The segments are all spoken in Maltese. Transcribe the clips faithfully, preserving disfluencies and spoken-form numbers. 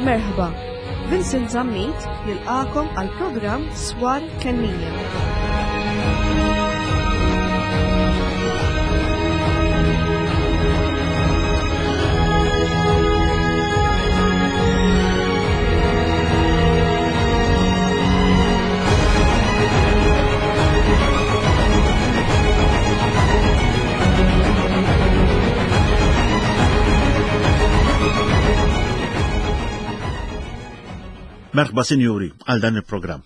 Merħba, Vincent Zammit jilqakom għal programm Swar Kennija. Merħba sinjuri għal dan il-programm.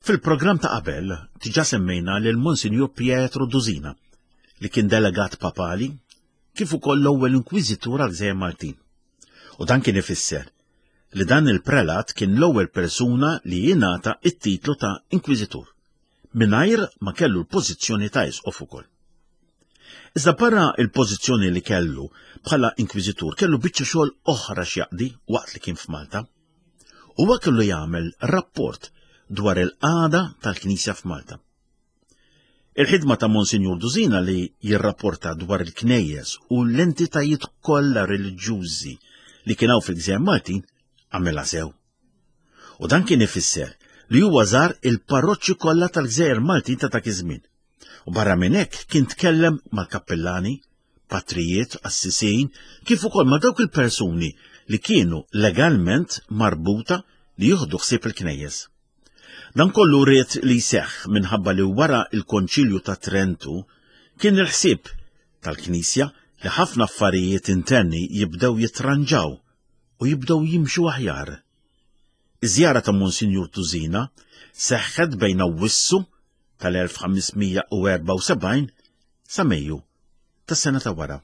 Fil-programm ta' qabel diġà semmejna lil Monsinjur Pietro Dusina li kien delegat papali kif ukoll l-ewwel inkwiżitur għal Gżejjer Maltin. U dan kien ifisser li dan il-prelat kien l-ewwel persuna li jingħata it-titlu ta' inkwiżitur mingħajr ma kellu l-pożizzjoni ta' isqof ukoll. Iżda barra il-pożizzjoni li kellu bħala inkwiżitur kellu biċċa xogħol oħra x'jaqdi waqt li kien f'Malta. Huwa kellu jagħmel rapport dwar il-qagħda tal-Knisja f'Malta. Il-ħidma ta' Monsinjur Dusina li jirrapporta dwar il-knejjes u l-entitajiet kollha reliġjużi li kien hawn fil-Gżejjer Maltin għamilha sew. U dan kien ifisser li huwa żar il-parroċċi kollha tal-Gżejjer Maltin ta' dak iż-żmien. U barra minn hekk kien tkellem mal-kappellani, patrijiet, assisin, kif ukoll ma' dawk il-persuni li kienu legalment marbuta li jieħdu ħsieb il-knejjes. Dan kollu ried li jseħħ minħabba li wara il-Konċilju ta' Trentu kien il-ħsieb tal-Knisja li ħafna affarijiet interni jibdew jitranġaw u jibdew jimxu aħjar. Iż-żjara ta' Monsinjur Dusina seħħet bejn Awwissu tal-elf ħames mija u erbgħa u sebgħin sa Mejju tas-sena ta' wara.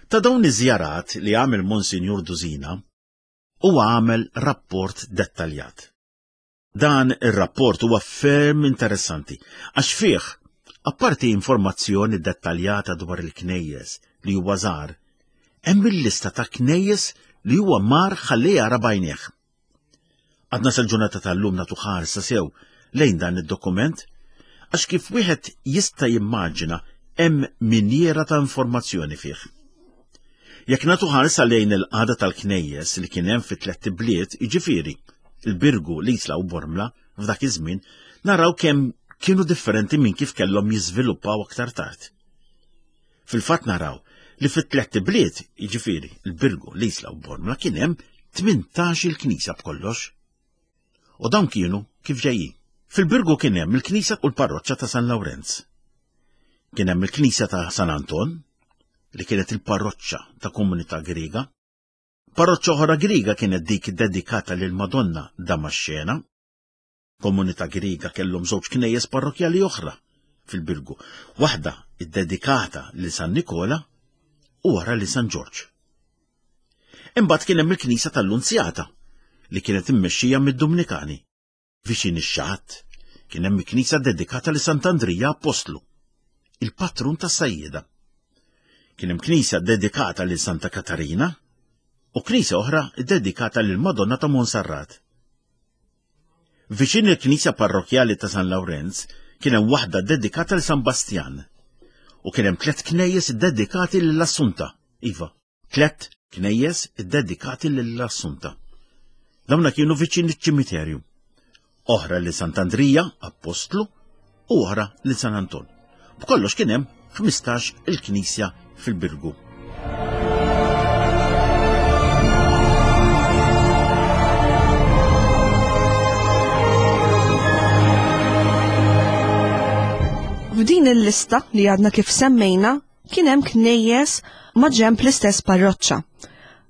Ta' dawn iż-żjarat li għamel Monsinjur Dusina, huwa għamel rapport dettaljat. Dan ir-rapport huwa ferm interessanti għax fih, apparti informazzjoni dettaljata dwar il-knejjes li huwa żar, hemm il-lista ta' knejjes li huwa mar ħalli jara b'għajnejh. Għadna sal-ġurnata tal-lum nagħtu ħarsa sew lejn dan id-dokument għax kif wieħed jista' jimmaġina hemm minjera ta' informazzjoni fih. Jekk nagħtu ħarsa lejn il-qagħda tal-knejjes li kien hemm fi tlett ibliet, jiġifieri il-Birgu, l-Isla u Bormla f'dak iż-żmien, naraw kemm kienu differenti minn kif kellhom jiżviluppaw aktar tard. Fil-fatt naraw li fit-tlett ibliet, jiġifieri il-Birgu, l-Isla u Bormla, kien hemm tmintax il-knisja b'kollox. U dawn kienu kif ġejjin. Fil-Birgu kien hemm il-knisja u l-parroċċa ta' San Lawrenz. Kien hemm il-knisja ta' San Anton, li kienet il-parroċċa ta' komunità Griega. Parroċċa oħra Griega kienet dik dedikata lil Madonna Damaxxena. Komunità Griega kellhom żewġ knejjes parrokkjali oħra fil-Birgu, waħda iddedikata lil San Nikola u oħra lil San Ġorġ. Imbagħad kien hemm il-knisja tal-Lunzjata li kienet immexxija mid-Dominikani. Viċin ix-xatt kien hemm knisja dedikata lil Sant'Andrija Apostlu, il-patrun tas-sajjieda. Kien hemm knisja dedikata lil Santa Katarina u knisja oħra dedikata lil Madonna ta' Monserrat. Viċin il-knisja parrokkjali ta' San Lawrenz kien hemm waħda dedikata lil San Bastjan u kien hemm tliet knejjes dedikati lill-Assunta. Iva, tliet knejjes dedikati lill-Assunta. Dawna kienu viċin iċ-ċimiterju. Oħra lil Sant'Andrija, Apostlu, u oħra lil San Anton. B'kollox kien hemm ħmistax il-knisja fil-Birgu. F'din il-lista li għadna kif semmejna kien hemm knejjes ma' ġenb l-istess parroċċa.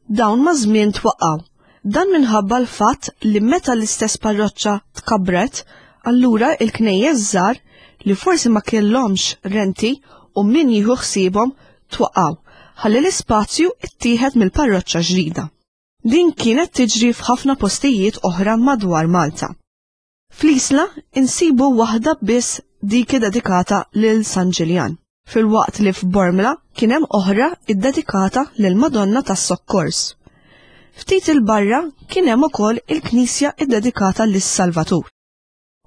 Dawn ma' żmien twaqqgħu. Dan minħabba l-fatt li meta l-istess parroċċa tkabret, allura il-knejjes żgħar li forsi ma kellhomx renti u min jieħu ħsiebhom twaqqgħu, ħalli l-ispazju ittieħed mill-parroċċa ġdida. Din kienet tiġri f'ħafna postijiet oħra madwar Malta. Fl-Isla insibu waħda biss dik dedikata lil San Ġiljan, filwaqt li f'Bormla kien hemm oħra iddedikata lil Madonna tas-Sokkors. Ftit il-barra kien hemm ukoll il-knisja iddedikata lis-Salvatur.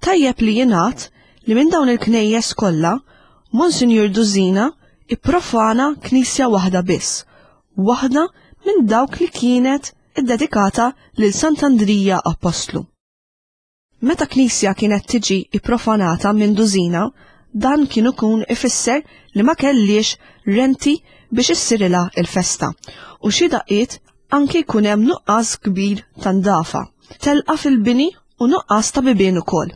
Tajjeb li jingħad li minn dawn il-knejjes kollha, Monsinjur Dusina ipprofana knisja waħda biss, waħda minn dawk li kienet iddedikata lil Sant'Andrija Apostlu. Meta knisja kienet tiġi ipprofanata minn Duzina, dan kien ikun ifisser li ma kellix renti biex issirilha il-festa u xi daqqiet anki jkun hemm nuqqas kbir ta' ndafa, telqa fil-bini u nuqqas ta' bibien ukoll.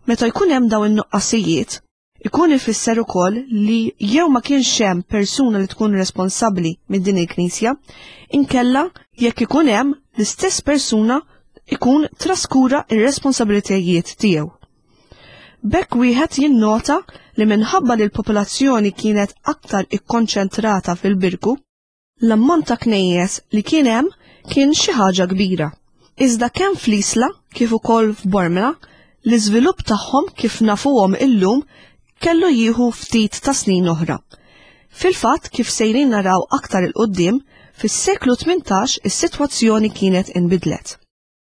Meta jkun hemm dawn in-nuqqasijiet, ikun ifisser ukoll li jew ma kienx hemm persuna li tkun responsabbli minn din il-knisja, inkella jekk ikun hemm l-istess persuna ikun traskura ir-responsabilitajiet tiegħu. B'hekk wieħed jinnota li minħabba li l-popolazzjoni kienet aktar ikkonċentrata fil-Birgu, l-ammont ta' knejjes li kien hemm kien xi ħaġa kbira. Iżda kemm fl-Isla kif ukoll f'Bormla, l-iżvilupp tagħhom kif nafuhom illum kellu jieħu ftit ta' snin oħra. Fil-fatt kif sejrin naraw aktar il-qoddim, fis-seklu tmintax is-sitwazzjoni kienet inbidlet.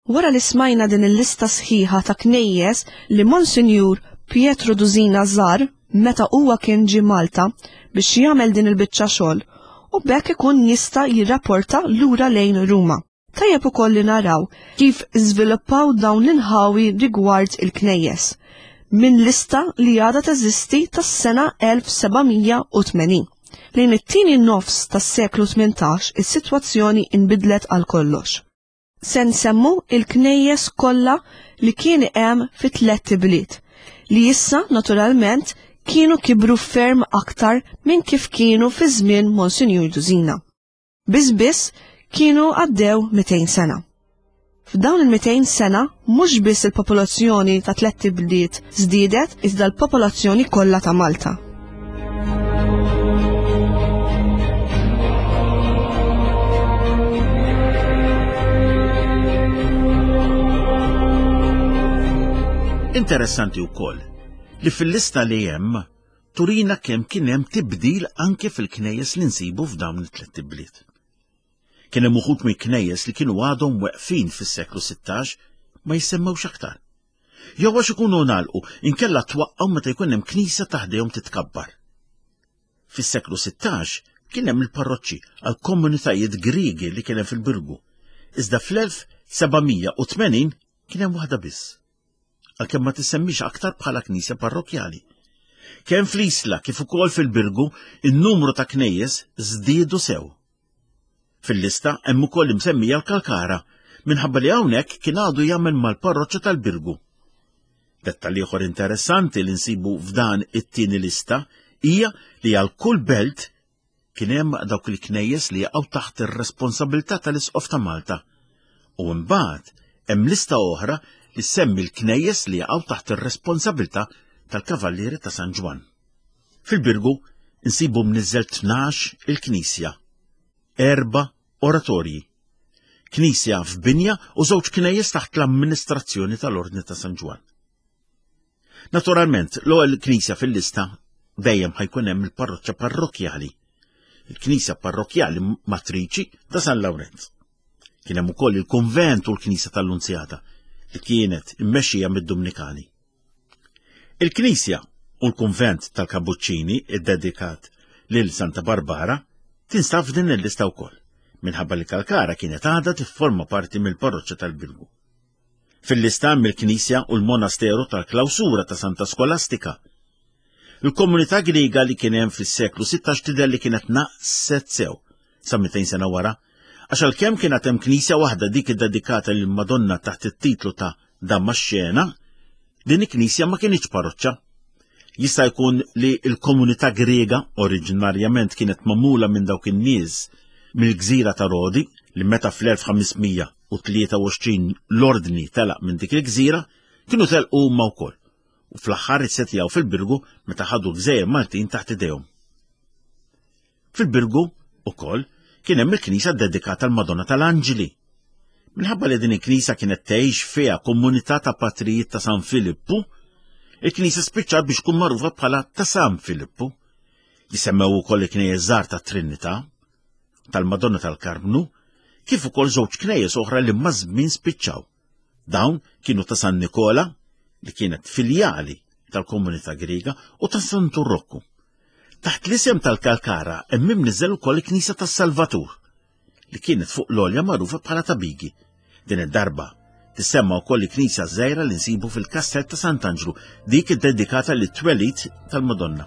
Wara li smajna din il-lista sħiħa ta' knejjes li Monsinjur Pietro Duzina żar meta huwa kien ġie Malta biex jagħmel din il-biċċa xogħol u b'hekk ikun jista' jirrapporta lura lejn Ruma. Tajjeb ukoll li naraw kif żviluppaw dawn l-inħawi rigward il-knejjes minn lista li għadha teżisti tas-sena elf seba' mija u tmenin. Lejn it-tieni nofs tas-seklu tmintax is-sitwazzjoni inbidlet għal kollox. Se nsemmu il-knejjes kollha li kien hemm fi tliet ibliet, li issa naturalment kienu kibru ferm aktar minn kif kienu fi żmien Monsinjur Duzina. Biss biss kienu għaddew mitejn sena. F'dawn il-mitejn sena mhux biss il-popolazzjoni ta' tliet ibliet żdiedet iżda l-popolazzjoni kollha ta' Malta. Interessanti wkoll li fil-lista li hemm turina kemm kien hemm tibdil anke fil-knejjes li nsibu f'dawn it-tliet ibliet. Kien hemm uħud mill-knejjes li kienu għadhom weqfin fis-seklu sittax ma jissemmewx aktar. Jew għax ikunu ngħalqu inkella twaqqgħu meta jkun hemm knisja taħdejhom titkabbar. Fis-seklu sittax kien hemm il-parroċċi għal komunitajiet Griegi li kien hemm fil-Birgu. Iżda fl-elf seba' mija u tmenin kien hemm waħda biss, għalkemm ma tissemmix aktar bħala knisja parrokkjali. Kemm fl-Isla kif ukoll fil-Birgu, in-numru ta' knejjes żdiedu sew. Fil-lista hemm ukoll imsemmija l-Kalkara, minħabba li hawnhekk kien għadu jagħmel mal-parroċċa tal-Birgu. Dettal ieħor interessanti li nsibu f'dan it-tieni lista hija li għal kull belt kien hemm dawk il-knejjes li jaqgħu taħt ir-responsabilità tal-Isqof ta' Malta. U mbagħad hemm lista oħra li semmi l-knejjes li jaqgħu taħt ir-responsabilità tal-Kavallieri ta' San Ġwann. Fil-Birgu nsibu mniżżel tnax il-knisja, erba' oratorji, knisja f'binja u żewġ knejjes taħt l-amministrazzjoni tal-Ordni ta' San Ġwann. Naturalment, l-ewwel knisja fil-lista dejjem ħajkun hemm il-parroċċa parrokkjali, il-knisja parrokkjali matriċi ta' San Lawrenz. Kien hemm ukoll il-kunvent u l-knisja tal-Lunzjata li kienet immexxija mid-Dumnikani. Il-knisja u l-kunvent tal-Kabuċċini iddedikat lil Santa Barbara tinstab f'din il-lista wkoll, minħabba li Kalkara kienet għadha tifforma parti mill-parroċċa tal-Birgu. Fil-lista hemm il-knisja u l-monasteru tal-Klawsura ta' Santa Skolastika. Il-komunità Griega li kien hemm fis-seklu sittax tidher li kienet naqset sew sa mitejn sena wara, għax għalkemm kienet hemm knisja waħda dik iddedikata lil Madonna taħt it-titlu ta' Damaxxena, din il-knisja ma kienx parroċċa. Jista' jkun li l-komunità Griega oriġinarjament kienet magħmula minn dawk in-nies mill-gżira ta' Rodi li meta fl-elf ħames mija u tlieta u għoxrin l-ordni telaq minn dik il-gżira kienu telqu huma wkoll u fl-aħħar issetjaw fil-Birgu meta ħadu l-gżejjer Maltin taħt idejhom. Fil-Birgu ukoll kien hemm il-knisja ddedikata għall-Madonna tal-Anġli. Minħabba li din il-knisja kienet tgħix fiha komunità ta' patrijiet ta' San Filippu, il-knisja spiċċat biex tkun magħrufa bħala ta' San Filippu. Jisemmew ukoll il-knejjes żgħar ta' Trinità, tal-Madonna tal-Karmnu, kif ukoll żewġ knejjes oħra li maż-żmien spiċċaw. Dawn kienu ta' San Nikola, li kienet filjali tal-komunità Griega, u ta' Santu Rokku. Taħt l-isem tal-Kalkara hemm imniżżel ukoll il-Knisja tas-Salvatur, li kienet fuq l-għolja magħrufa bħala ta' Bigi. Din id-darba tissemma wkoll il-knisja żgħira li nsibu fil-Kastell ta' Sant'Anġlu, dik iddedikata lit-twelid tal-Madonna.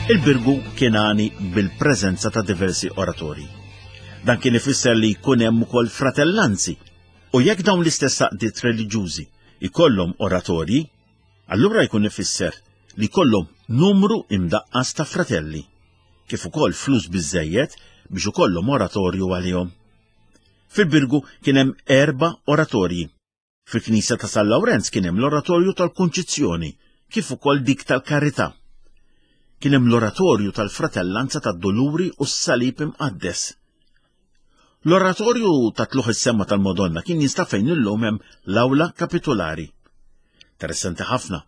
Il-Birgu kien għani bil-preżenza ta' diversi oratorji. Dan kien ifisser li jkun hemm ukoll fratellanzi, u jekk dawn l-istess għaqdiet reliġjużi jkollhom oratorji, allura jkun ifisser li jkollhom numru imdaqqas ta' fratelli, kif ukoll flus biżżejjed biex ikollhom oratorju għalihom. Fil-Birgu kien hemm erba' oratorji. Fil-Knisja ta' San Lawrenz kien hemm l-Oratorju tal-Kunċizzjoni, kif ukoll dik tal-Karità. Kien hemm l-Oratorju tal-Fratellanza tad-Doluri u s-Salib Imqaddes. L-Oratorju ta' Tluħ is-Semma tal-Madonna kien jinstab fejn illum hemm l-Awla Kapitolari. Interessanti ħafna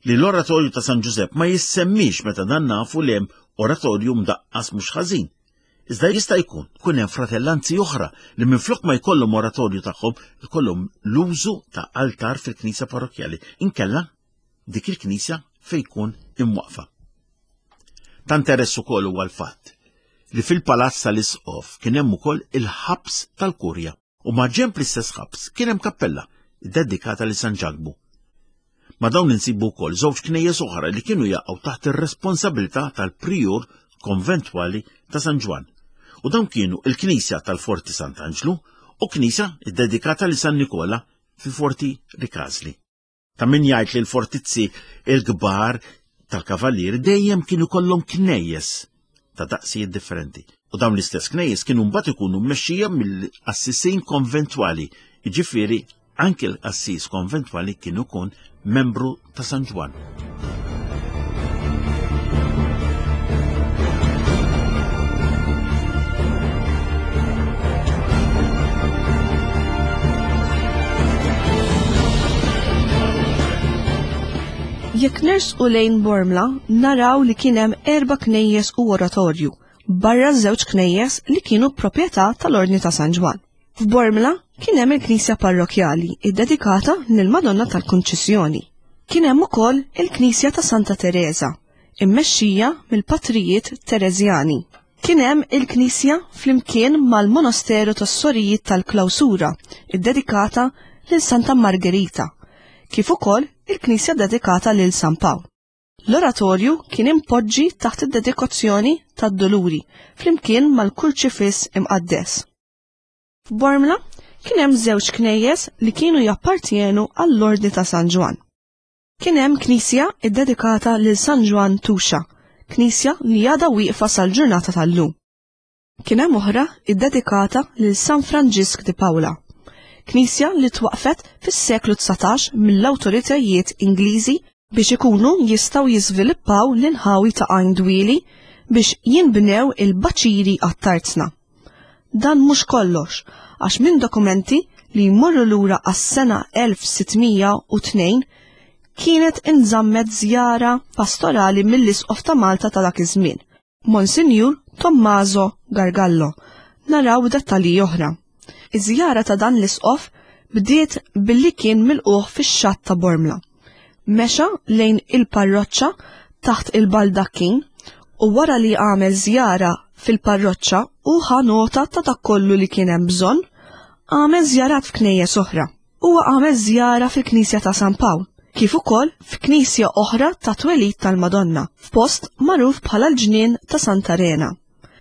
li l-Oratorju ta' San Ġużepp ma jissemmix meta dan nafu li hemm oratorju mdaqqas mhux ħażin. Iżda jista' jkun kun hemm fratellanzi oħra li minflok ma jkollhom oratorju tagħhom ikollhom l-użu ta' altar fil-knisja parrokkjali, inkella dik il-knisja fejn jkun imwaqfa. Ta' interess ukoll huwa l-fatt li fil-palazz tal-Isqof kien hemm ukoll il-ħabs tal-Kurja u ma' ġenb l-istess ħabs kien hemm kappella ddedikata lil San Ġakbu. Ma' dawn insibu wkoll żewġ knejjes oħra li kienu jaqgħu taħt ir-responsabilità tal-prijur konventwali ta' San Ġwann. U dawn kienu il-Knisja tal-Forti Sant'Anġlu u knisja ddedikata lil San Nikola fil-Forti Rikasli. Ta' min jgħid li l-fortizzi il-kbar tal-kavallieri dejjem kienu kollhom knejjes ta' daqsijiet differenti. U dawn l-istess knejjes kienu mbagħad ikunu mmexxija mill-qassisin konventwali, jiġifieri anke l-qassis konventwali kien ikun membru ta' San Ġwann. Jekk nersqu lejn Bormla, naraw li kien hemm erba' knejjes u oratorju, barra żewġ knejjes li kienu proprjetà tal-Ordni ta' San Ġwann. F'Bormla kien hemm il-knisja parrokjali iddedikata lill-Madonna tal-Kunċissjoni. Kien hemm ukoll il-knisja ta' Santa Teresa, immexxija mill-patrijiet Tereżjani. Kien hemm il-knisja flimkien mal-monasteru tas-Sorijiet tal-Klawsura, iddedikata lil Santa Margherita, kif ukoll il-knisja dedikata lil San Pawl. L-oratorju kien impoġġi taħt id-dedikazzjoni tad-Doluri flimkien mal-Kurċifiss Imqaddes. F'Bormla kien hemm żewġ knejjes li kienu jappartjenu għall-Ordni ta' San Ġwann. Kien hemm knisja ddedikata lil San Ġwann Tuxa, knisja li għadha wieqfa sal-ġurnata tal-lum. Kien hemm oħra ddedikata lil San Franġisk di Paola, knisja li twaqfet fis-seklu dsatax mill-awtoritajiet Ingliżi biex ikunu jistgħu jiżviluppaw l-inħawi ta' Għajn Dwieli biex jinbnew il-baċiri għat-tarzna. Dan mhux kollox, għax minn dokumenti li jmorru lura għas-sena elf sittmija u tnejn kienet inżammet żjara pastorali mill-Isqof ta' Malta ta' dak iż-żmien, Monsinjur Tommaso Gargallo. Naraw dettalji oħra. Iż-żjara ta' dan l-isqof bdiet billi kien milquh fix-xatt ta' Bormla. Mexa lejn il-parroċċa taħt il-baldakkin u wara li għamel żjara fil-parroċċa u ħa nota ta' dak kollu li kien hemm bżonn, għamel żjarat f'knejjes oħra. Huwa għamel żjara fil-Knisja ta' San Pawl, kif ukoll f'knisja oħra ta' twelid tal-Madonna, f'post magħruf bħala l-ġnien ta' Santa Rena.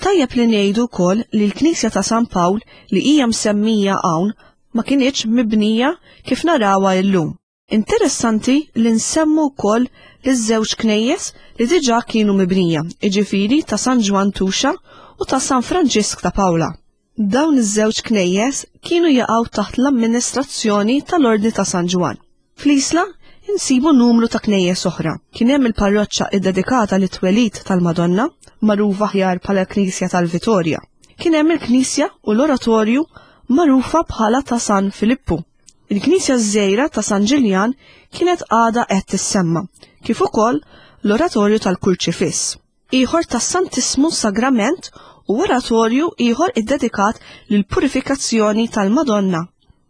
Tajjeb li ngħidu wkoll li l-Knisja ta' San Pawl li hija msemmija hawn ma kinitx mibnija kif narawha llum. Interessanti li nsemmu wkoll li żewġ knejjes li diġà kienu mibnija, jiġifieri ta' San Ġwann Tuxa u ta' San Franġisk ta' Pawla. Dawn iż-żewġ knejjes kienu jaqgħu taħt l-amministrazzjoni tal-Ordni ta' San Ġwann. Fl-Isla insibu numru ta' knejjes oħra. Kien hemm il-parroċċa iddedikata lit-twelid tal-Madonna, magħrufa aħjar bħala l-Knisja tal-Vitorja. Kien hemm il-Knisja u l-Oratorju magħrufa bħala ta' San Filippu. Il-Knisja żgħira ta' San Ġiljan kienet għadha qed tissemma, kif ukoll l-Oratorju tal-Kurċifiss. Ieħor tas-Santismu Sagrament u oratorju ieħor iddedikat lill-purifikazzjoni tal-Madonna.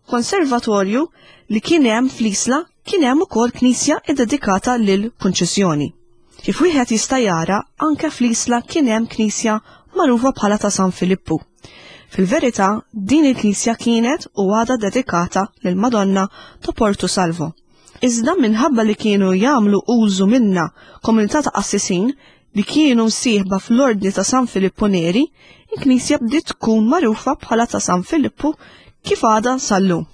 Konservatorju li kien hemm fl-Isla kien hemm ukoll knisja ddedikata lil Kunċizzjoni. Kif wieħed jista' jara, anke fl-Isla kien hemm knisja magħrufa bħala ta' San Filippu. Fil-verità, din il-knisja kienet u għadha dedikata lil Madonna ta' Porto Salvo. Iżda minħabba li kienu jagħmlu użu minna komunità ta' qassisin li kienu msieħba fl-ordni ta' San Filippo Neri, il-knisja bdiet tkun magħrufa bħala ta' San Filippu kif għadha sal-lum.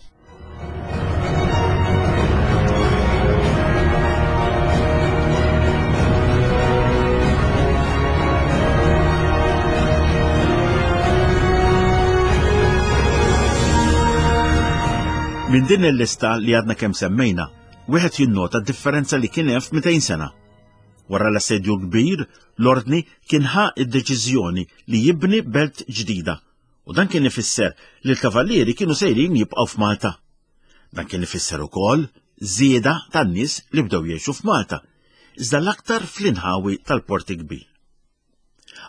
Minn din il-lista li għadna kemm semmejna, wieħed jinnota d-differenza li kien hemm f'mitejn sena. Wara l-assedju kbir, l-ordni kien ħa id-deċiżjoni li jibni belt ġdida, u dan kien ifisser li l-kavallieri kienu sejrin jibqgħu f'Malta. Dan kien ifisser ukoll żieda tan-nies li bdew jgħixu f'Malta, iżda l-aktar fl-inħawi tal-Port Kbir.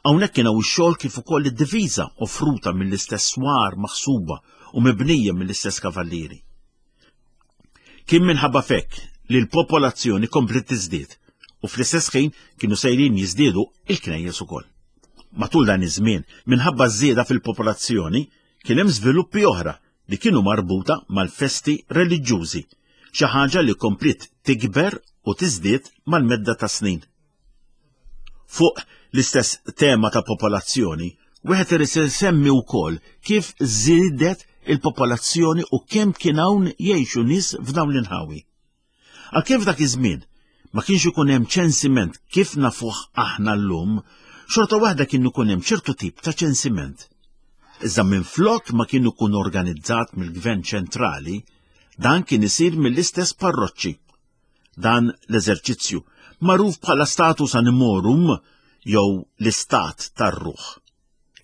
Hawnhekk kien hawn ix-xogħol kif ukoll id-diviża offruta mill-istess swar maħsuba u mibnija mill-istess kavallieri. Kien minħabba fekk li l-popolazzjoni kompliet tiżdied u fl-istess ħin kienu sejrin jiżdiedu il-knejjes ukoll. Matul dan iż-żmien, minħabba żieda fil-popolazzjoni, kien hemm żviluppi oħra li kienu marbuta mal-festi reliġjużi, xi ħaġa li kompliet tikber u tiżdied mal-medda ta' snin. Fuq l-istess tema ta' popolazzjoni, wieħed irid isemmi wkoll kif żiedet il-popolazzjoni u kemm kien hawn jgħixu nies f'dawn l-inħawi. Għalkemm f'dak iż-żmien ma kienx ikun hemm ċensiment kif nafuh aħna llum, xorta waħda kien ikun hemm ċertu tip ta' ċensiment. Iżda minflok ma kien ikun organizzat mill-Gvern ċentrali, dan kien isir mill-istess parroċċi. Dan l-eżerċizzju, magħruf bħala status animorum jew l-istat tar-ruħ.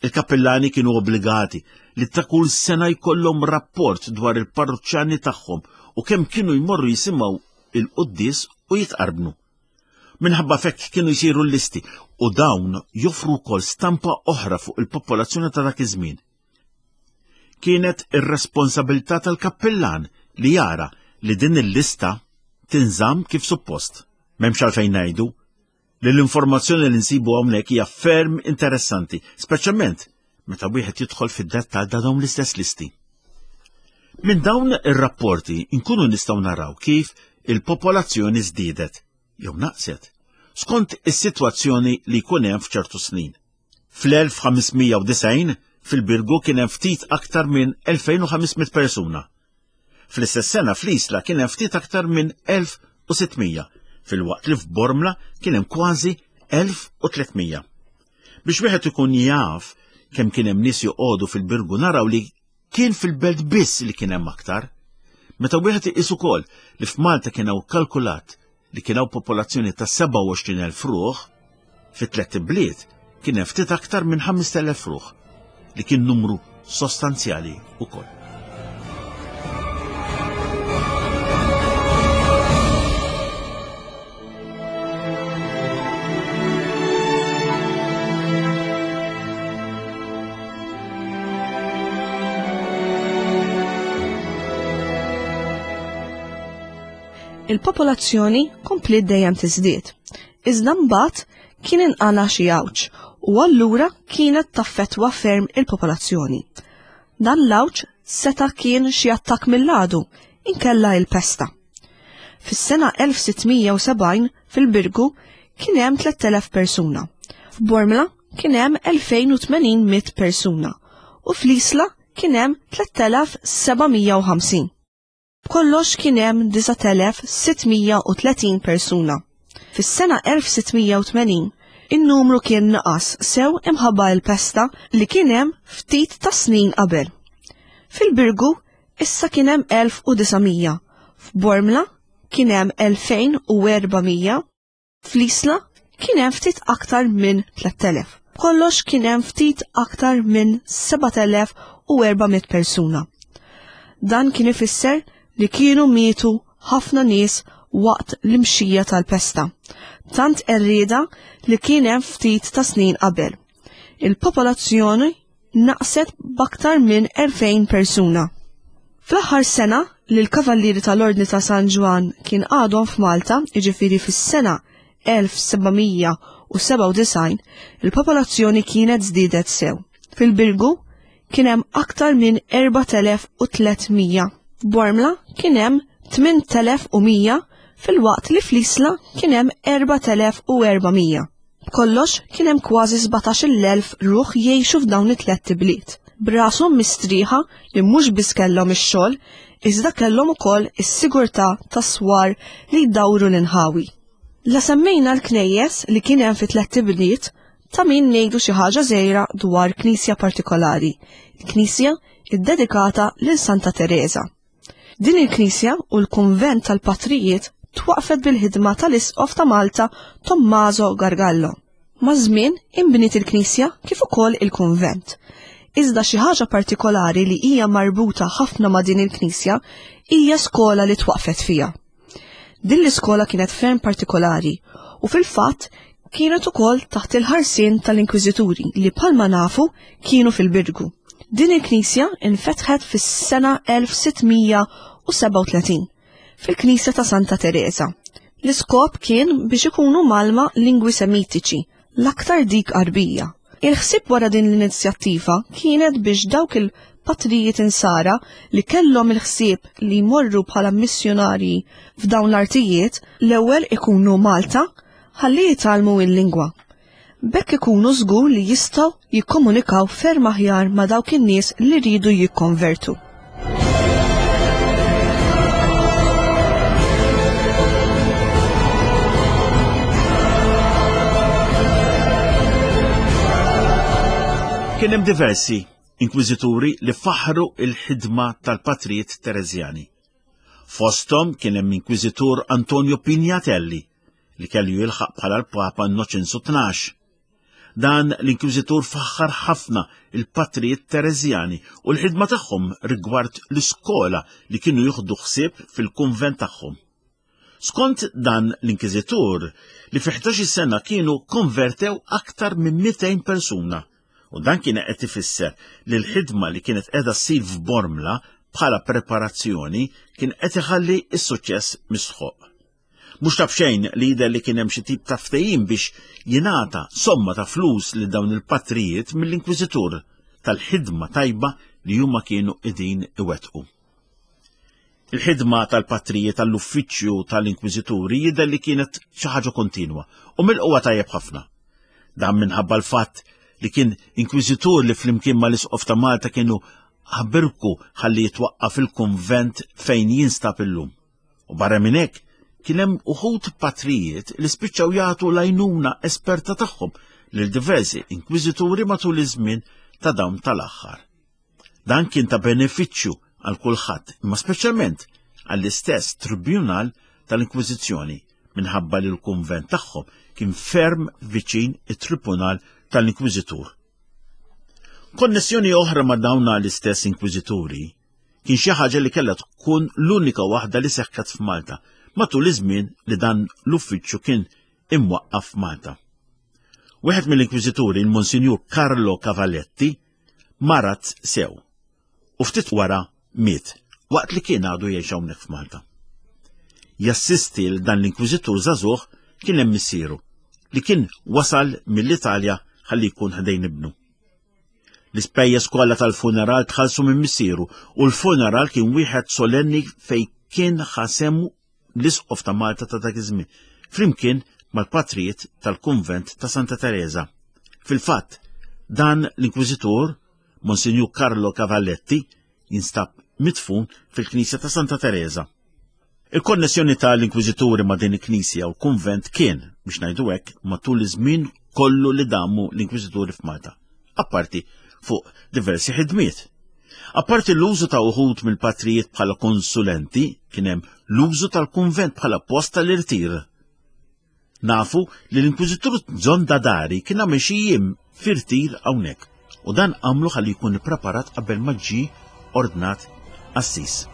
Il-kappellani kienu obbligati li ta' kull sena jkollhom rapport dwar il-parruċċani tagħhom u kemm kienu jmorru jisimgħu il-quddies u jitqarbnu. Minħabba fekk kienu jsiru l-listi u dawn joffru wkoll stampa oħra fuq il-popolazzjoni ta' dak iż-żmien. Kienet ir-responsabilità tal-kappellan li jara li din il-lista tinżamm kif suppost. M'hemmx għalfejn ngħidu li l-informazzjoni li nsibu hawnhekk hija ferm interessanti, speċjalment meta wieħed jidħol fid-dettall ta' dawn l-istess listi. Minn dawn ir-rapporti nkunu nistgħu naraw kif il-popolazzjoni żdiedet jew naqset skont is-sitwazzjoni li jkun hemm f'ċertu snin. Fl-elf ħames mija u disgħin fil-Birgu kien hemm ftit aktar minn elfejn u ħames mitt persuna. Fl-istess sena fl-Isla kien hemm ftit aktar minn elf u sitt mija, filwaqt li f'Bormla kien hemm kważi elf u tliet mija. Biex wieħed ikun jaf kemm kien hemm nies joqogħdu fil-Birgu naraw li kien fil-belt biss li kien hemm aktar. Meta wieħed iqis ukoll li f'Malta kien hawn kalkulat li kien hawn popolazzjoni ta' sebgħa u għoxrin elf ruħ, fi tliet ibliet kien hemm ftit aktar minn ħamest elef ruħ, li kien numru sostanzjali ukoll. Il-popolazzjoni kompliet dejjem tiżdied. Iżda mbagħad kien inqala xi għawġ u allura kienet taffettwa ferm il-popolazzjoni. Dan l-għawġ seta' kien xi attakk mill-għadu, inkella il-pesta. Fis-sena elf sitt mija u sebgħin fil-Birgu kien hemm tlett elef persuna. F'Bormla kien hemm elfejn u tmenin mitt persuna u fl-Isla kien hemm tlett elef seba' mija u ħamsin. B'kollox kien hemm disat elef sitt mija u tletin persuna. Fis-sena elf sitt mija u tmenin, in-numru kien naqas sew imħabba l-pesta li kien hemm ftit ta' snin qabel. Fil-Birgu issa kien hemm elf u disa' mija, f'Bormla kien hemm elfejn u erba' mija, fl-Isla kien hemm ftit aktar minn tlett elef. B'kollox kien hemm ftit aktar minn sebat elef u erba' mitt persuna. Dan kien ifisser li kienu mietu ħafna nies waqt l-imxija tal-pesta, tant qerrieda li kien hemm ftit ta' snin qabel. Il-popolazzjoni naqset b'aktar minn elfejn persuna. Fl-aħħar sena li l-Kavallieri tal-Ordni ta' San Ġwann kien għadhom f'Malta, jiġifieri fis-sena elf seba' mija u sebgħa u disgħin, il-popolazzjoni kienet żdiedet sew. Fil-Birgu kien hemm aktar minn erbat elef u tliet mija. F'Bormla kien hemm tmien elef u mija, fil-waqt li fl-Isla kien hemm erbat elef u erba' mija. B'kollox kien hemm kważi sbatax-il elf ruħ jgħixu f'dawn it-tliet ibliet. Brashom mistrieħa li mhux biss kellhom ix-xogħol, iżda kellhom ukoll is-sigurtà tas-swar li jdawru l-inħawi. La semmejna l-knejjes li kien hemm fi tliet ibliet, ta' min ngħidu xi ħaġa żgħira dwar knisja partikolari, il-knisja iddedikata lil Santa Teresa. Din il-knisja u l-kunvent tal-patrijiet twaqfet bil-ħidma tal-Isqof ta' Malta Tommaso Gargallo. Maż-żmien inbniet il-knisja kif ukoll il-kunvent. Iżda xi ħaġa partikolari li hija marbuta ħafna ma' din il-knisja hija skola li twaqfet fiha. Din l-iskola kienet ferm partikolari u fil-fatt kienet ukoll taħt il-ħarsien tal-Inkwiżituri li bħalma nafu kienu fil-Birgu. Din il-knisja infetħet fis-sena elf sitt mija u sebgħa u tletin fil-Knisja ta' Santa Teresa. L-iskop kien biex ikunu malma lingwi semitiċi, l-aktar dik Għarbija. Il-ħsieb wara din l-inizjattiva kienet biex dawk il-patrijiet insara li kellhom il-ħsieb li jmorru bħala missjonarji f'dawn l-artijiet l-ewwel ikunu Malta ħalli jitgħallmu il-lingwa. B'hekk ikunu żgur li jistgħu jikkomunikaw ferm aħjar ma' dawk in-nies li rridu jikkonvertu. Kien hemm diversi inkwiżituri li faħru il-ħidma tal-patrijiet Tereżjani. Fosthom kien hemm inkwiżitur Antonio Pignatelli li kellu jilħaq bħala l-Papa Innoċenzu tnax. Dan l-inkwiżitur faħħar ħafna il-patrijiet Tereżjani u l-ħidma tagħhom rigward l-iskola li kienu jieħdu ħsieb fil-kunvent tagħhom. Skont dan l-inkwiżitur li fi ħdax-il sena kienu konvertew aktar minn mitejn persuna. U dan kien qed ifisser li l-ħidma li kienet qiegħda ssir f'Bormla bħala preparazzjoni kien qed iħalli s-suċċess mistħoq. Mhux ta' b'xejn li jidher li kien hemm xi tip ta' ftehim biex jingħata somma ta' flus lil dawn il-patrijiet mill-Inkwiżitur tal-ħidma tajba li huma kienu qegħdin iwettqu. Il-ħidma tal-patrijiet tal-uffiċċju tal-Inkwiżituri jidher li kienet xi ħaġa kontinwa u mill-qwa tajjeb ħafna. Dan minħabba l-fatt li kien inkwiżitur li flimkien mal-Isqof ta' Malta kienu ħabirku ħalli jitwaqqaf il-kunvent fejn jinstab illum. U barra minn hekk kien hemm uħud patrijiet li spiċċaw jagħtu l-għajnuna esperta tagħhom lil diversi inkwiżituri matul iż-żmien ta' dawn tal-aħħar. Dan kien ta' benefiċċju għal kulħadd, imma speċjalment għall-istess tribunal tal-Inkwiżizzjoni minħabba li l-kunvent tagħhom kien ferm viċin it-tribunal tal-Inkwiżitur. Konnessjoni oħra ma' dawn l-istess inkwiżituri kien xi ħaġa li kellha tkun l-unika waħda li seħħet f'Malta matul iż-żmien li dan l-uffiċċju kien imwaqqaf f'Malta. Wieħed mill-inkwiżituri, il-Monsinjur Carlo Cavalletti, marat sew u ftit wara miet waqt li kien għadu jgħix hawnhekk f'Malta. Jassisti l dan l-inkwiżitur żagħżugħ kien hemm missieru li kien wasal mill-Italja ħalli jkun ħdejn ibnu. L-ispejjeż kollha tal-funeral tħallsu minn missieru u l-funeral kien wieħed solenni fejn kien ħasemu l-Isqof ta' Malta ta' dak iż-żmien, flimkien mal-patrijiet tal-Kunvent ta' Santa Teresa. Fil-fatt, dan l-Inkwiżitur, Monsinjur Carlo Cavalletti, jinstab midfun fil-Knisja ta' Santa Teresa. Il-konnessjoni tal-Inkwiżituri ma' din il-Knisja u l-Kunvent kien, biex ngħidu hekk, matul iż-żmien kollu li damu l-Inkwiżituri f'Malta, apparti fuq diversi ħidmiet. Apparti l-użu ta' uħud mill-patrijiet bħala konsulenti, kien hemm l-użu tal-kunvent bħala post tal-irtir. Nafu li l-Inkwiżitur Zondadari kien għamel xi jiem f'irtir hawnhekk, u dan għamlu ħalli jkun ippreparat qabel ma ġie ordnat qassis.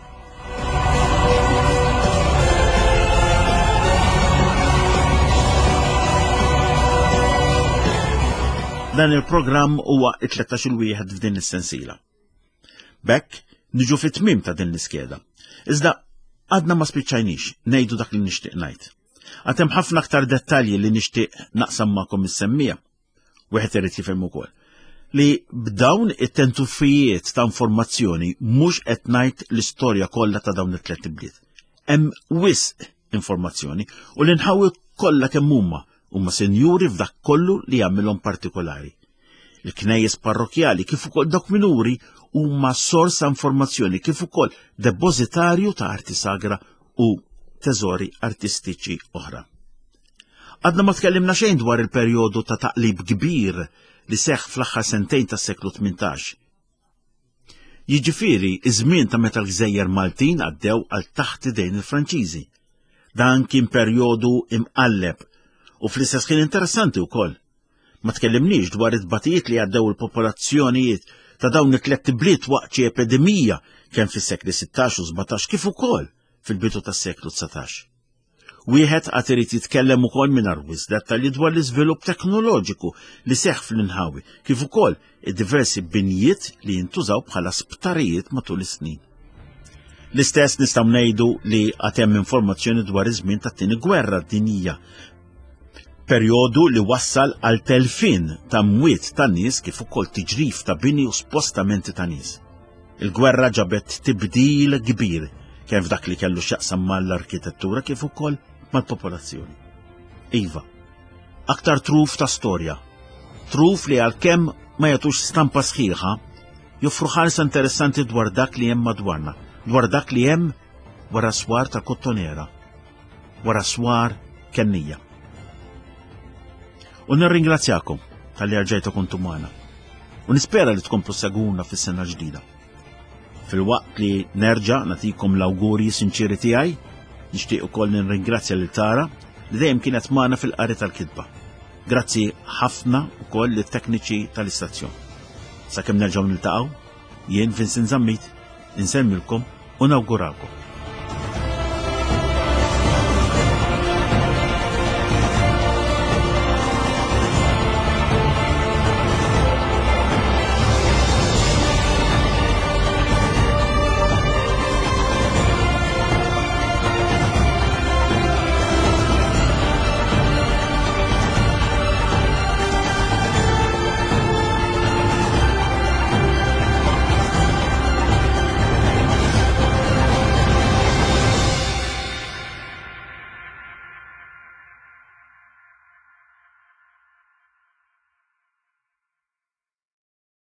Dan il-programm huwa it-tlettax-il wieħed f'din is-sensiela. B'hekk Niġu fit-tmiem ta' din l-iskeda. Iżda għadna ma spiċċajniex ngħidu dak li nixtieq ngħid. Għad hemm ħafna aktar dettalji li nixtieq naqsam magħkom is-semmiegħa. Wieħed irid jifhem ukoll li b'dawn it-tentuffijiet ta' informazzjoni mhux qed ngħid l-istorja kollha ta' dawn it-tliet ibliet. Hemm wisq informazzjoni u l-inħawi kollha kemm huma huma sinjuri f'dak kollu li jagħmilhom partikolari. Il-knejjes parrokjali kif ukoll dawk minuri huma sors ta' informazzjoni kif ukoll depożitarju ta' arti sagra u teżori artistiċi oħra. Għadna ma tkellimna xejn dwar il-perjodu ta' taqlib kbir li seħħ fl-aħħar sentejn tas-seklu tmintax. Jiġifieri iż-żmien ta' meta l-gżejjer Maltin għaddew għal taħt idejn il-Franċiżi. Dan kien perjodu imqalleb u fl-istess ħin interessanti wkoll. Ma tkellimniex dwar it-tbatijiet li għaddew il-popolazzjonijiet ta' dawn it-tliet ibliet waqt xi epidemija kemm fis-sekli sittax u sbatax kif ukoll fil-bidu tas-seklu dsatax. Wieħed għad irid jitkellem ukoll mingħajr wisq dettalji dwar l-iżvilupp teknoloġiku li seħħ fl-inħawi, kif ukoll id-diversi binjiet li jintużaw bħala sptarijiet matul is-snin. L-istess nistgħu ngħidu li għad hemm informazzjoni dwar iż-żmien tat-tieni gwerra dinjija, perjodu li wassal għal telfien ta' mwiet ta' nies kif ukoll tiġrif ta' bini u spostamenti ta' nies. Il-gwerra ġabet tibdil kbir kemm f'dak li kellu x'jaqsam mal-arkitettura kif ukoll mal-popolazzjoni. Iva, aktar truf ta' storja, truf li għalkemm ma jagħtux stampa sħiħa, joffru ħarsa interessanti dwar dak li hemm madwarna, dwar dak li hemm wara swar ta' Kottonera, wara swar Kennija. U nirringrazzjakom tal-li rġajtu kontu magħna. U nispera li tkomplu seguna fis-sena ġdida. Fil-waqt li nerġa' nagħtikom l-awgurji sinċiri tiegħi, nixtieq ukoll nirringrazzja lil Tara li dejjem kienet magħna fil-qari tal-kitba. Grazzi ħafna ukoll lit-tekniċi tal-istazzjon. Sakemm nerġgħu niltaqgħu, jien Vincent Zammit, insellmilkom u nawguralkom.